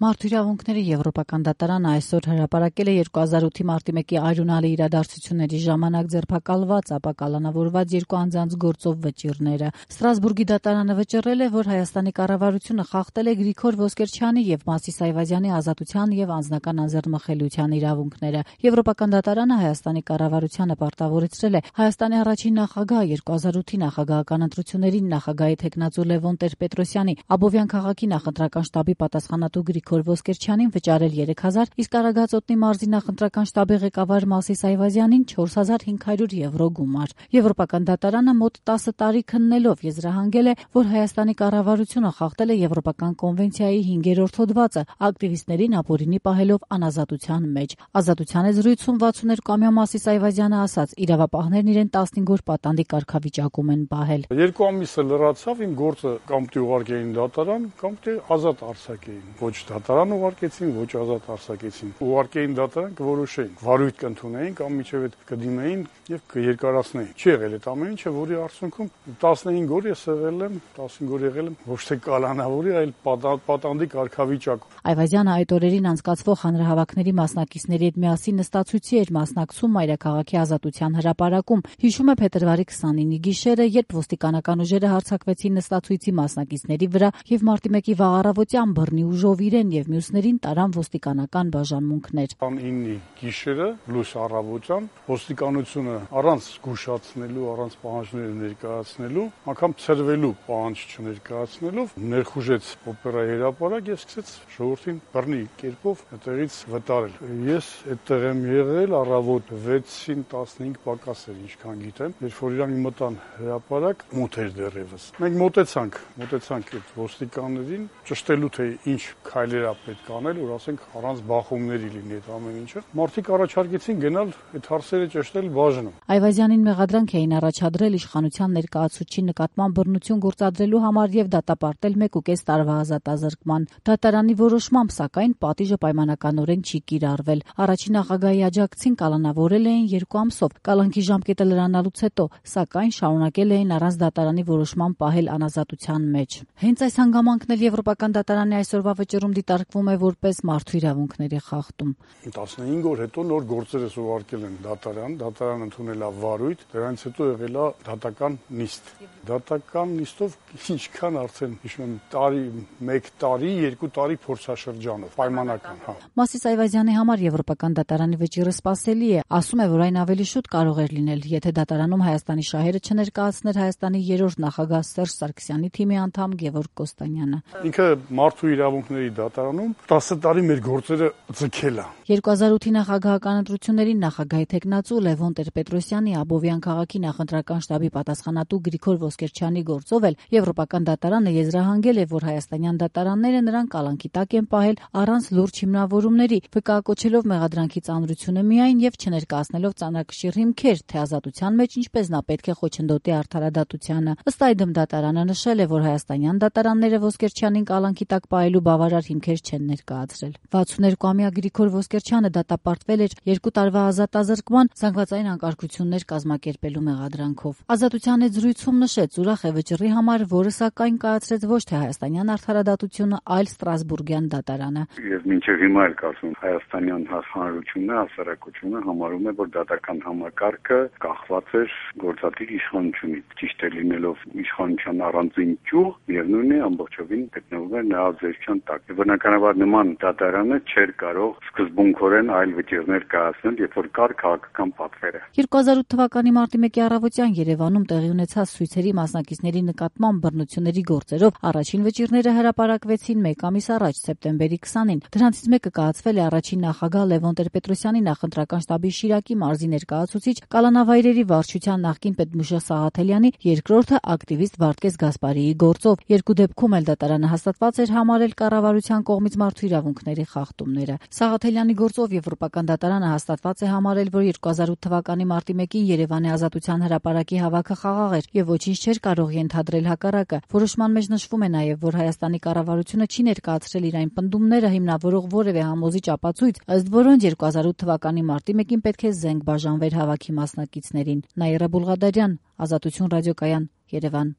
Մարդու իրավունքների Եվրոպական դատարանը այսօր հրապարակել է 2008-ի մարտի 1-ի արյունալի իրադարձությունների ժամանակ ձերբակալված, ապա կալանավորված երկու անձանց գործով վճիռները։ Ստրասբուրգի դատարանը վճռել է, որ Հայաստանի կառավարությունը խախտել է Գրիգոր Ոսկերչյանի եւ Մասիս Այվազյանի ազատության եւ անձնական անձեռնմխելիության իրավունքները։ Եվրոպական դատարանը Հայաստանի կառավարությանը պարտավորեցրել է Հայաստանի առաջին նախագահ 2008-ի նախագահական ընտրություններին նախագահի թեկնածու Լևոն Տեր-Պետրոսյանի Աբովյան քաղաքի նախընտրական շտաբի պատասխանատու Գրիգոր Ոսկերչյանին վճարել 3000, իսկ Արագածոտնի մարզի նախընտրական շտաբի ղեկավար Մասիս Այվազյանին 4500 եվրո գումար։ Եվրոպական դատարանը մոտ 10 տարի քննելով եզրահանգել է, որ Հայաստանի կառավարությունը խախտել է Եվրոպական կոնվենցիայի 5-րդ հոդվածը, ակտիվիստներին ապօրինի պահելով անազատության մեջ։ Ազատության է զրույցում 62-ամյա Մասիս Այվազյանը ասաց, իրավապահներն իրեն 15 օր պատանդի կարգավիճակում են պահել։ 2 ամիսը լրացավ, իմ գործը կամ ուղարկեին դատարան, կամ ազատ արձակեին։ Ոչ դատարան ուղարկեցին, ոչ ազատ արձակեցին։ Ուղարկեին դատարան կորոշեին, վարույթ կընդունեին կամ միջև այդ կդիմեին եւ կերկարացնեին։ Չի եղել այդ ամեն ինչը, որի արդյունքում 15 օր ես եղել եմ, 15 օր եղել եմ ոչ թե կալանավորի, այլ պատանդի կարգավիճակում։ Այվազյանը այդ օրերին անցկացվող հանրահավաքների մասնակիցների հետ միասին նստածույցի էր մասնակցում Մայրաքաղաքի ազատության հրապարակում։ Հիշում է փետրվարի 29-ի գիշերը, երբ ոստիկանական ուժերը հարձակվեցին նստածույցի մասնակիցների վրա եւ մարտի 1-ի վաղ առավոտյան բռնի ուժով իրեն եւ մյուսներին տարան ոստիկանական բաժանմունքներ։ 9-ի գիշերը լույս առավոտյան ոստիկանությունը առանց զգուշացնելու, առանց պահանջները ներկայացնելու, անգամ ցրվելու պահանջ չներկայացնելով ներխուժեց օպերայի հրապարակ եւ սկսեց ժողովրդին բռնի կերպով այդտեղից վտարել։ Ես այդտեղ եմ եղել առավոտ 6-ին 15 պակաս էր, ինչքան գիտեմ, երբ որ իրան մտան հրապարակ, մութ էր դեռևս։ Մենք մոտեցանք այդ ոստիկաններին, ճշտելու թե ինչ քայլեր է պետք անել, որ ասենք առանց բախումների լինի այդ ամեն ինչը։ Մարդիկ առաջարկեցին գնալ այդ հարցերը ճշտել բաժնում։ Այվազյանին մեղադրանք էին առաջադրել իշխանության ներկայացուցչի նկատմամբ բռնություն գործադրելու համար եւ դատապարտել 1.5 տարվա ազատազրկման։ Դատարանի որոշմամբ, սակայն, պատիժը պայմանականորեն չի կիրառվել։ Առաջին նախագահի աջակցին կալանավորել էին 2 ամսով, կալանքի ժամկետը լրանալուց հետո, սակայն շարունակել էին առանց դատարանի որոշման պահել անազատության մեջ։ Հենց այս հանգամանքն էլ Եվրոպական դատարանի այսօրվա վճռում դիտարկվում է որպես մարդու իրավունքների խախտում։ 15 օր հետո նոր գործերս ուղարկել են դատարան ընդունել է վարույթ, դրանից հետո եղել է դատական նիստ։ Դատական նիստով ինչքան արդեն հիշում եմ 1 տարի, 2 տարի փորձաշրջանով պայմանական, հա։ Մասիս Այվազյանի համար Եվրոպական դատարանի վճիռը սպասելի է, ասում է, որ այն ավելի շուտ կարող էր լինել, եթե դատարանում Հայաստանի շահերը չներկայացներ Հայաստանի 3-րդ նախագահ Սերժ Սարգսյանի թիմի անդամ Գևորգ Կոստանյանը։ Ինքը մարդու իրավունքների դատարանում 10 տարի մեր գործերը ձգել է։ 2008-ի նախագահական ընտրություններին նախագահի թեկնածու Լևոն Տեր-Պետրոսյանի Աբովյան քաղաքի նախընտրական շտաբի պատասխանատու Գրիգոր Ոսկերչյանի գործով էլ Եվրոպական դատարանը եզրահանգել է, որ հայաստանյան դատարանները նրան կալանքի տակ են պահել առանց լուրջ հիմնավորումների, վկայակոչելով մեղադրանքի ծանրությունը միայն եւ չներկայացնելով ծանրակշիռ հիմքեր, թե ազատության մեջ ինչպես նա պետք է խոչընդոտի արդարադատությանը։ Ըստ այդմ դատարանը նշել է, որ հայաստանյան դատարանները Ոսկերչյանին կալանքի տակ պահելու բավարար հիմքեր չեն ներկայացրել։ 62-ամյա Գրիգոր Ոսկերչյանը դատապարտվել էր 2 տարվա ազատազրկման զանգվածային անկարգություններ կազմակերպելու մեղադրանքով։ Ազատության հետ զրույցում նշեց, ուրախ է վճռի համար, որը սակայն կայացրեց ոչ թե հայաստանյան արդարադատությունը, այլ Ստրասբուրգյան դատարանը։ Ես մինչև հիմա էլ կարծում հայաստանյան հանրությունը, հասարակությունը համարում է, որ դատական համակարգը կախված էր գործադիր իշխանությունից։ Ճիշտ է լինելով իշխանության առանձին ճյուղ, միևնույն է ամբողջովին գտնվում է նրա ազդեցության տակ։ Բնականաբար նման դատարանը չէր կարող սկզբունքորեն այլ վճիռներ կայացնել, երբ որ կար քաղաքական պատվերը։ 2008 թվականի մարտի 1-ի առավոտյան Երևանում տեղի ունեցած ցույցերի մասնակիցների նկատմամբ բռնությունների գործերով առաջին վճիռները հրապարակվեցին 1 ամիս առաջ, սեպտեմբերի 20-ին։ Դրանցից մեկը կայացվել է առաջին նախագահ Լևոն Տեր-Պետրոսյանի նախընտրական շտաբի Շիրակի մարզի ներկայացուցիչ Կալանավայրերի վարչության նախկին պետմուշա Սաղաթելյանի, երկրորդը ակտիվիստ Վարդգես Գասպարիի գործով։ Երկու դեպքում էլ դատարանը հաստատված էր համարել կառավարության կողմից մարդու իրավունքների խախտումները։ Սաղաթելյանի գործով Եվրոպական դատարանը հաստատված է համարել, որ 2008 թվականի մարտի 1-ին Երևանի Ազատության հրապարակի հավաքը խաղաղ էր եւ ոչինչ չէր կարող ենթադրել հակառակը։ Որոշման մեջ նշվում է նաեւ, որ Հայաստանի կառավարությունը չի ներկայացրել իր այն պնդումները հիմնավորող որևէ համոզիչ ապացույց, ըստ որոնց 2008 թվականի մարտի 1-ին պետք է զենք բաժանվեր հավաքի մասնակիցներին։ Նաիրա Բուլղադարյան, Ազատություն ռադիոկայան, Երևան։